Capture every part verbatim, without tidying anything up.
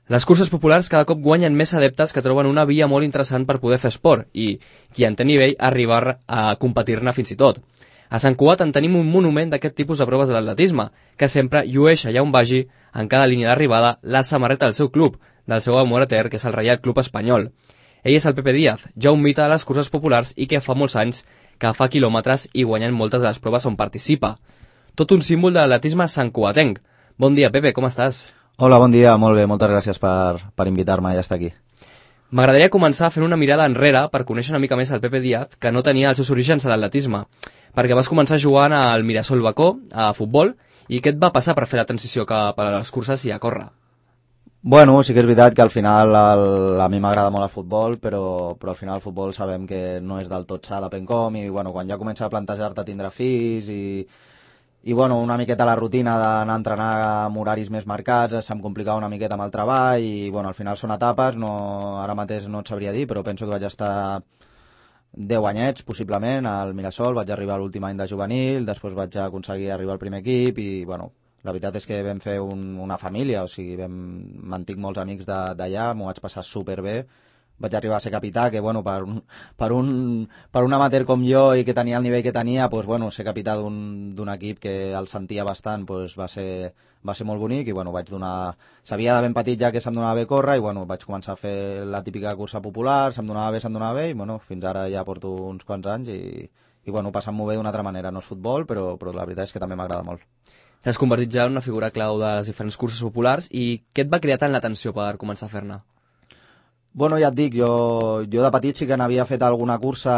Les curses populars cada cop guanyen més adeptes que troben una via molt interessant per poder fer esport i, qui en té nivell, arribar a competir-ne fins i tot. A Sant Cugat en tenim un monument d'aquest tipus de proves de l'atletisme, que sempre llueix allà on vagi, en cada línia d'arribada, la samarreta del seu club, del seu amor etern, que és el Reial Club Espanyol. Ell és el Pepe Díaz, ja un mite de les curses populars i que fa molts anys que fa quilòmetres i guanyen moltes de les proves on participa. Tot un símbol de l'atletisme santcugatenc. Bon dia, Pepe, com estàs? Hola, bon dia, molt bé, moltes gràcies per, per invitar-me a estar aquí. M'agradaria començar fent una mirada enrere per conèixer una mica més el Pepe Díaz, que no tenia els seus orígens a l'atletisme, perquè vas començar jugant al Mirasol Bacó, a futbol, i què et va passar per fer la transició cap a les curses i a córrer? Bueno, sí que és veritat que al final el, a mi m'agrada molt el futbol, però, però al final el futbol sabem que no és del tot sa, depèn com, i bueno, quan ja comença a plantejar-te tindre fills i... I bueno, una miqueta la rutina d'anar a entrenar amb horaris més marcats, se'm complicava una miqueta amb el treball i bueno, al final són etapes, no, ara mateix no et sabria dir, però penso que vaig estar deu anyets possiblement al Mirasol, vaig arribar a l'últim any de juvenil, després vaig aconseguir arribar al primer equip i bueno, la veritat és que vam fer un, una família, o sigui, vam, mantinc molts amics d'allà, m'ho vaig passar superbé. Vaig arribar a ser capità, que bueno, per un, per un, per un amateur com jo i que tenia el nivell que tenia, pues, bueno, ser capità d'un equip que el sentia bastant pues, va, ser, va ser molt bonic i bueno, vaig donar... Sabia de ben petit ja que se'm donava bé córrer i bueno, vaig començar a fer la típica cursa popular, se'm donava bé, se'm donava bé i bueno, fins ara ja porto uns quants anys i, i bueno, passant-m'ho bé d'una altra manera. No és futbol, però, però la veritat és que també m'agrada molt. T'has convertit ja en una figura clau de les diferents curses populars i què et va crear tant l'atenció per començar a fer-ne? Bueno, ja et dic, jo, jo de petit sí que n'havia fet alguna cursa,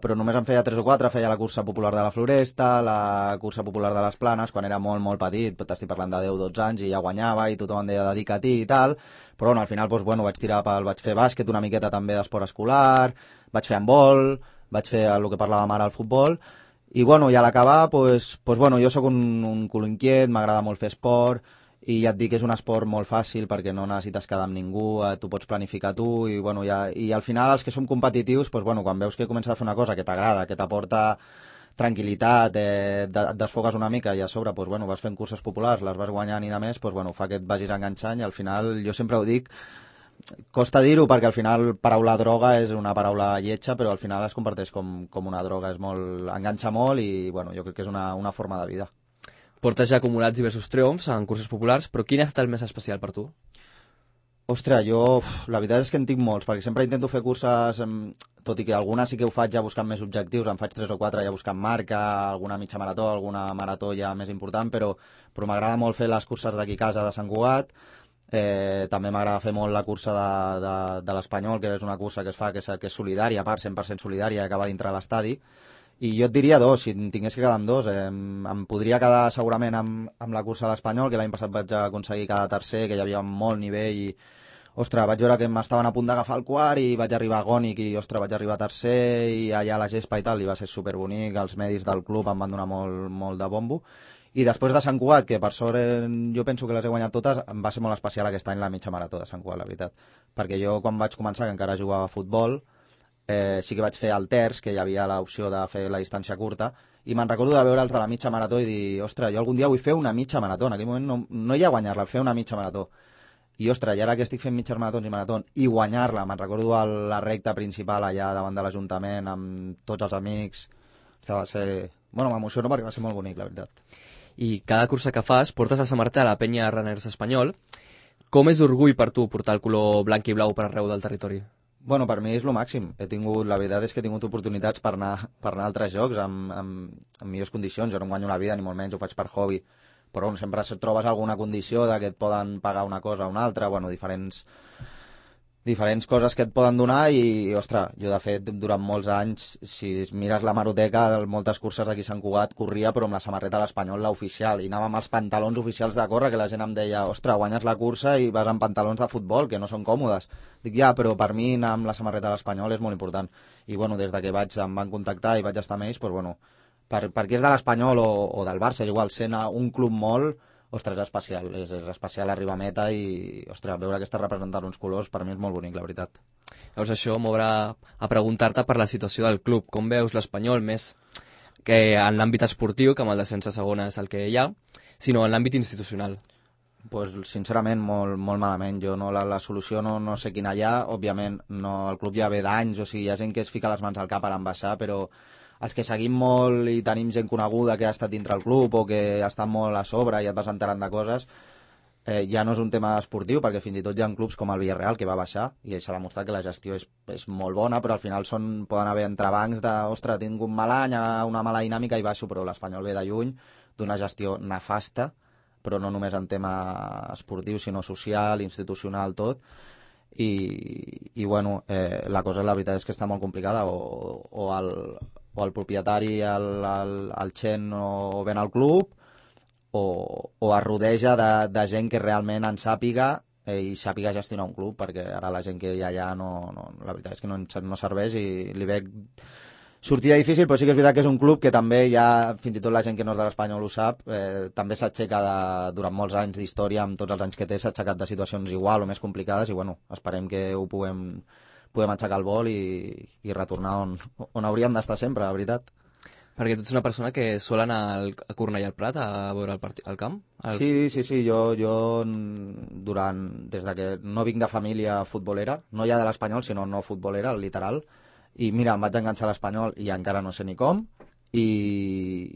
però només en feia tres o quatre, feia la cursa popular de la Floresta, la cursa popular de les Planes, quan era molt, molt petit, t'estic parlant de deu o dotze anys, i ja guanyava, i tothom em deia dedica a ti i tal, però bueno, al final doncs, bueno, vaig tirar pel, vaig fer bàsquet una miqueta també d'esport escolar, vaig fer handbol, vaig fer el que parlàvem ara, el futbol, i bueno, i a l'acabar, doncs, doncs, bueno, jo sóc un, un culo inquiet, m'agrada molt fer esport, i ja et dic que és un esport molt fàcil perquè no necessites quedar amb ningú, eh, tu pots planificar tu i, bueno, ja, i al final els que som competitius doncs, bueno, quan veus que comences a fer una cosa que t'agrada, que t'aporta tranquil·litat, eh, et desfogues una mica i a sobre doncs, bueno, vas fent curses populars, les vas guanyant i de més, doncs, bueno, fa que et vagis enganxant i al final jo sempre ho dic, costa dir-ho perquè al final paraula droga és una paraula lletja però al final es converteix com, com una droga, és molt, enganxa molt i bueno, jo crec que és una, una forma de vida. Portes ja acumulats diversos triomfs en curses populars, però quin ha estat el més especial per tu? Ostres, jo, la veritat és que en tinc molts, perquè sempre intento fer curses, tot i que algunes sí que ho faig ja buscant més objectius, en faig tres o quatre ja buscant marca, alguna mitja marató, alguna marató ja més important, però, però m'agrada molt fer les curses d'aquí a casa de Sant Cugat, eh, també m'agrada fer molt la cursa de, de, de l'Espanyol, que és una cursa que es fa, que és, que és solidària, a part cent per cent solidària, que acaba dintre l'estadi. I jo et diria dos, si en tingués que quedar amb dos, eh, em podria quedar segurament amb, amb la cursa de l'Espanyol, que l'any passat vaig aconseguir quedar tercer, que hi havia molt nivell i, ostres, vaig veure que m'estaven a punt d'agafar el quart i vaig arribar agònic i, ostres, vaig arribar tercer i allà a la gespa i tal, i va ser superbonic, els medis del club em van donar molt, molt de bombo. I després de Sant Cugat, que per sort eh, jo penso que les he guanyat totes, em va ser molt especial aquest any la mitja marató de Sant Cugat, la veritat. Perquè jo quan vaig començar, que encara jugava a futbol, Eh, sí que vaig fer el terç, que hi havia l'opció de fer la distància curta, i me'n recordo de veure els de la mitja marató i dir, ostres, jo algun dia vull fer una mitja marató, en aquell moment no, no hi ha guanyar-la, fer una mitja marató. I ostres, i ara que estic fent mitges maratons i maratons, i guanyar-la, me'n recordo a la recta principal allà davant de l'Ajuntament, amb tots els amics, ostres, va ser... Bueno, m'emociono perquè va ser molt bonic, la veritat. I cada cursa que fas portes la samarreta a la penya Runners Espanyol. Com és d'orgull per tu portar el color blanc i blau per arreu del territori? Bueno, per mi és el màxim. He tingut, la veritat és que he tingut oportunitats per anar, per anar a altres jocs amb, amb, amb millors condicions. Jo no em guanyo la vida, ni molt menys, ho faig per hobby. Però bueno, sempre trobes alguna condició de que et poden pagar una cosa o una altra, bueno, diferents, diferents coses que et poden donar i, ostres, jo de fet, durant molts anys, si mires la maroteca, moltes curses d'aquí a Sant Cugat corria, però amb la samarreta de l'Espanyol, la oficial, i anava amb els pantalons oficials de córrer, que la gent em deia, ostres, guanyes la cursa i vas amb pantalons de futbol, que no són còmodes. Dic, ja, però per mi anar amb la samarreta de l'Espanyol és molt important. I, bueno, des de que vaig, em van contactar i vaig estar amb ells, doncs, bueno, per, perquè és de l'Espanyol o, o del Barça, igual, sent un club molt, ostres, és especial, és, és especial arribar a meta i, ostres, veure que està representant uns colors, per mi és molt bonic, la veritat. Llavors això m'obre a preguntar-te per la situació del club. Com veus l'Espanyol més que en l'àmbit esportiu, que amb el descens a segona és el que hi ha, sinó en l'àmbit institucional? Pues, sincerament, molt, molt malament. Jo no, la, la solució no, no sé quina hi ha. Òbviament, no, el club ja ve d'anys, o sigui, hi ha gent que es fica les mans al cap per embassar, però els que seguim molt i tenim gent coneguda que ha estat dintre el club o que ha estat molt a sobre i et vas enterant de coses, eh, ja no és un tema esportiu, perquè fins i tot hi ha clubs com el Villarreal que va baixar i s'ha demostrat que la gestió és, és molt bona, però al final són, poden haver entrebancs de, ostres, tinc un mal any, una mala dinàmica i baixo, però l'Espanyol ve de lluny d'una gestió nefasta, però no només en tema esportiu, sinó social, institucional, tot. I, i bueno, eh, la cosa, la veritat és que està molt complicada, o, o, el, o el propietari, el, el, el Chen, o ven al club, o, o es rodeja de, de gent que realment en sàpiga eh, i sàpiga gestionar un club, perquè ara la gent que hi ha allà no, no, la veritat és que no, no serveix i li veig sortida difícil, però sí que és veritat que és un club que també ja, fins i tot la gent que no és de l'Espanyol ho sap, eh, també s'aixeca durant molts anys d'història, amb tots els anys que té, s'ha aixecat de situacions igual o més complicades i bueno, esperem que ho puguem, puguem aixecar el vol i, i retornar on, on hauríem d'estar sempre, la veritat. Perquè tu ets una persona que sol anar al, a Cornellà al Prat a veure el, partit, el camp? El... Sí, sí, sí, jo, jo durant, des de que no vinc de família futbolera, no ja de l'Espanyol, sinó no futbolera, literal, i mira, em vaig enganxar a l'Espanyol i encara no sé ni com, i,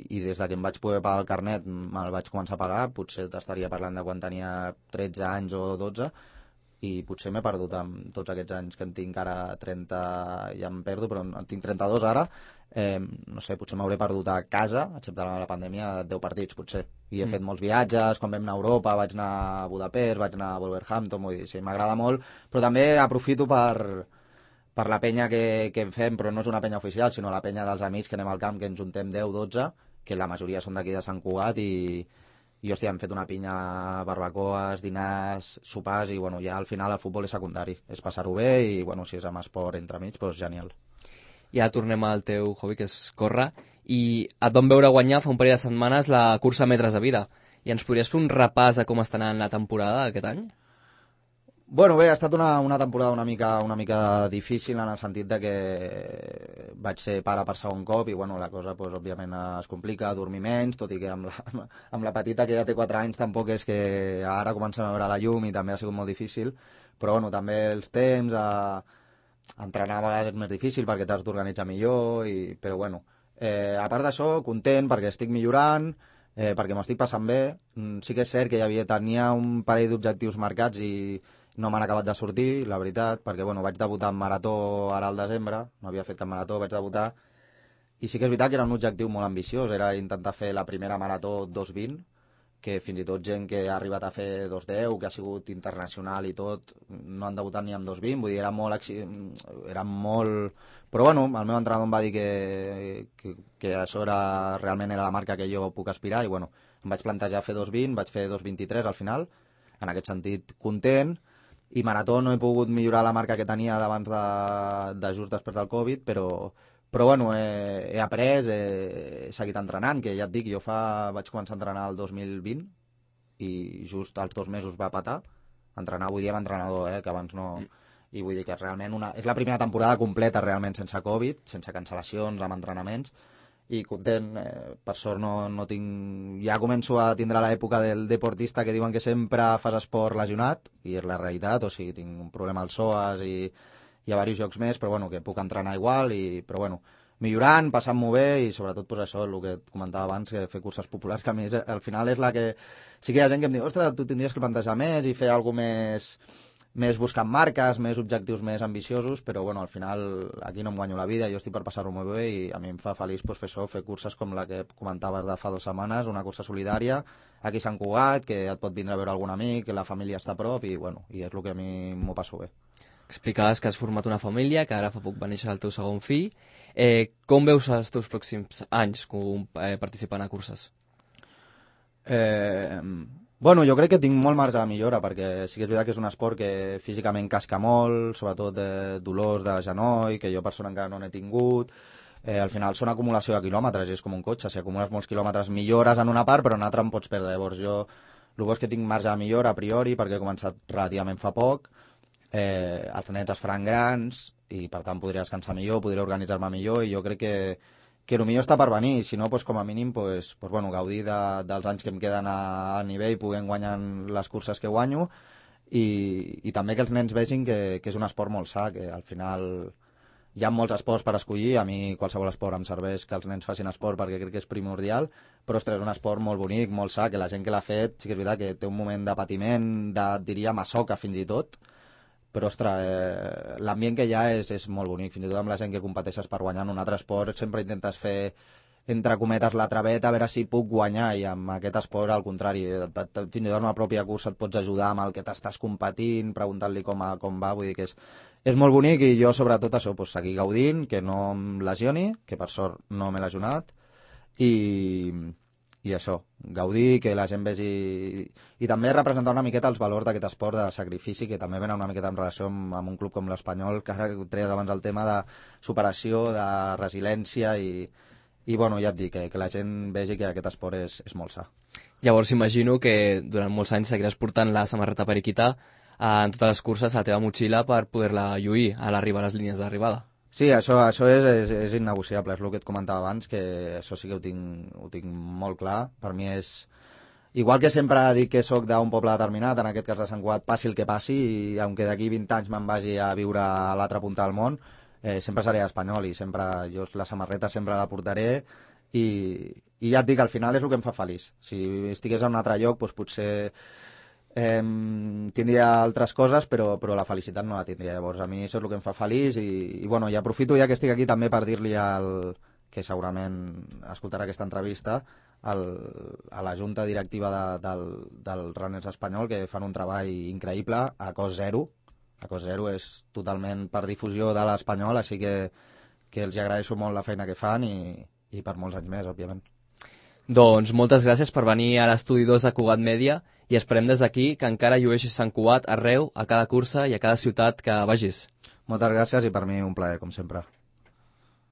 i des de que em vaig poder pagar el carnet me'l vaig començar a pagar, potser t'estaria parlant de quan tenia tretze anys o dotze, i potser m'he perdut amb tots aquests anys que en tinc ara trenta, ja em perdo, però en tinc trenta-dos ara, eh, no sé, potser m'hauré perdut a casa, excepte la, la pandèmia, deu partits, potser. I he mm. fet molts viatges, quan vam anar a Europa, vaig anar a Budapest, vaig anar a Wolverhampton, vull dir, sí, m'agrada molt, però també aprofito per per la penya que, que en fem, però no és una penya oficial, sinó la penya dels amics que anem al camp, que ens juntem deu dotze, que la majoria són d'aquí de Sant Cugat, i, i hòstia, hem fet una pinya, barbacoes, dinars, sopars, i bueno, ja al final el futbol és secundari, és passar-ho bé, i bueno, si és amb esport entremig, doncs genial. Ja tornem al teu hobby, que és córrer, i et vam veure guanyar fa un parell de setmanes la cursa metres de vida, i ens podries fer un repàs de com està anant la temporada aquest any? Bueno, bé, ha estat una, una temporada una mica, una mica difícil en el sentit de que vaig ser pare per segon cop i bueno, la cosa pues, òbviament es complica, dormir menys, tot i que amb la, amb la petita que ja té quatre anys tampoc és que ara comencem a veure la llum i també ha sigut molt difícil, però bueno, també els temps, a, a entrenar a vegades és més difícil perquè t'has d'organitzar millor, i, però bueno, eh, a part d'això, content perquè estic millorant, eh, perquè m'ho estic passant bé, sí que és cert que hi havia, tenia un parell d'objectius marcats i no m'han acabat de sortir, la veritat, perquè bueno, vaig debutar en marató ara al desembre, no havia fet cap marató, vaig debutar, i sí que és veritat que era un objectiu molt ambiciós, era intentar fer la primera marató dos vint, que fins i tot gent que ha arribat a fer dos deu, que ha sigut internacional i tot, no han debutat ni amb dos vint, vull dir, era molt... Era molt... Però bueno, el meu entrenador em va dir que, que, que això era, realment era la marca que jo puc aspirar, i bueno, em vaig plantejar fer dos vint, vaig fer dos vint-i-tres al final, en aquest sentit content, i marató no he pogut millorar la marca que tenia d'abans de, de just després del Covid, però, però bueno, he, he après, he, he seguit entrenant, que ja et dic, jo fa, vaig començar a entrenar el dos mil vint i just als dos mesos va patar, entrenar avui dia amb entrenador, eh, que abans no... I vull dir que realment una, és la primera temporada completa realment sense Covid, sense cancel·lacions, amb entrenaments, i content, eh, per sort no, no tinc... Ja començo a tindre l'època del deportista que diuen que sempre fas esport lesionat, i és la realitat, o sigui, tinc un problema als psoas i hi ha diversos jocs més, però bueno, que puc entrenar igual, i, però bueno, millorant, passant-m'ho bé, i sobretot pues, això, el que et comentava abans, que fer curses populars, que a mi és, al final és la que... Sí que hi ha gent que em diu, ostres, tu tindries que plantejar més i fer alguna més... més buscant marques, més objectius més ambiciosos, però bueno, al final aquí no em guanyo la vida, jo estic per passar-ho molt bé i a mi em fa feliç pues, fer això, fer curses com la que comentaves de fa dues setmanes, una cursa solidària, aquí a Sant Cugat, que et pot vindre a veure algun amic, que la família està a prop i bueno, i és el que a mi m'ho passo bé. Explicaves que has format una família, que ara fa poc va néixer el teu segon fill. Eh, com veus els teus pròxims anys com, eh, participant a curses? Eh... Bueno, jo crec que tinc molt marge de millora, perquè sí que és veritat que és un esport que físicament casca molt, sobretot eh, dolors de genoll, que jo persona encara no n'he tingut. Eh, al final són acumulació de quilòmetres, i és com un cotxe, si acumules molts quilòmetres millores en una part, però en una altra em pots perdre. Llavors jo, el bo és que tinc marge de millora a priori, perquè he començat relativament fa poc, eh, els nets es faran grans, i per tant podré descansar millor, podré organitzar-me millor, i jo crec que que potser està per venir, si no, pues, com a mínim pues, pues, bueno, gaudir de, dels anys que em queden a, a nivell, podent guanyar les curses que guanyo, i, i també que els nens vegin que, que és un esport molt sa, que al final hi ha molts esports per escollir, a mi qualsevol esport em serveix que els nens facin esport perquè crec que és primordial, però ostres, és un esport molt bonic, molt sa, que la gent que l'ha fet, sí que és veritat que té un moment de patiment, de, diria, masoca fins i tot, però, ostres, eh, l'ambient que hi ha és, és molt bonic, fins i tot amb la gent que competeixes per guanyar en un altre esport, sempre intentes fer, entre cometes, la traveta, a veure si puc guanyar, i amb aquest esport, al contrari, fins i tot en la pròpia cursa et pots ajudar amb el que t'estàs competint, preguntant-li com, a, com va, vull dir que és, és molt bonic, i jo, sobretot, això, pues, seguir gaudint, que no em lesioni, que per sort no m'he lesionat, i... i això, gaudir, que la gent vegi... I també representar una miqueta els valors d'aquest esport de sacrifici, que també venen una miqueta en relació amb, amb un club com l'Espanyol, que ara treies abans el tema de superació, de resiliència, i, i bueno, ja et dic, que, que la gent vegi que aquest esport és, és molt sa. Llavors imagino que durant molts anys seguiràs portant la samarreta periquita eh, en totes les curses a la teva motxilla per poder-la lluir a l'arribar a les línies d'arribada. Sí, això, això és, és, és innegociable, és el que et comentava abans, que això sí que ho tinc, ho tinc molt clar. Per mi és... Igual que sempre dic que sóc d'un poble determinat, en aquest cas de Sant Cugat, passi el que passi, i aunque d'aquí vint anys me'n vagi a viure a l'altra punta del món, eh, sempre seré espanyol, i sempre jo la samarreta sempre la portaré, i, i ja et dic, al final és el que em fa feliç. Si estigués en un altre lloc, doncs potser... Eh, tindria altres coses, però, però la felicitat no la tindria. Llavors a mi això és el que em fa feliç, i, i, bueno, i aprofito ja que estic aquí també per dir-li al, que segurament escoltarà aquesta entrevista, al, a la junta directiva de, del, del Runners espanyol, que fan un treball increïble a cost zero. A cost zero és totalment per difusió de l'espanyol, així que, que els agraeixo molt la feina que fan, i, i per molts anys més, òbviament. Doncs moltes gràcies per venir a l'estudi dos de Cugat Mèdia, i esperem des d'aquí que encara llueixis Sant Cugat arreu, a cada cursa i a cada ciutat que vagis. Moltes gràcies, i per mi un plaer, com sempre.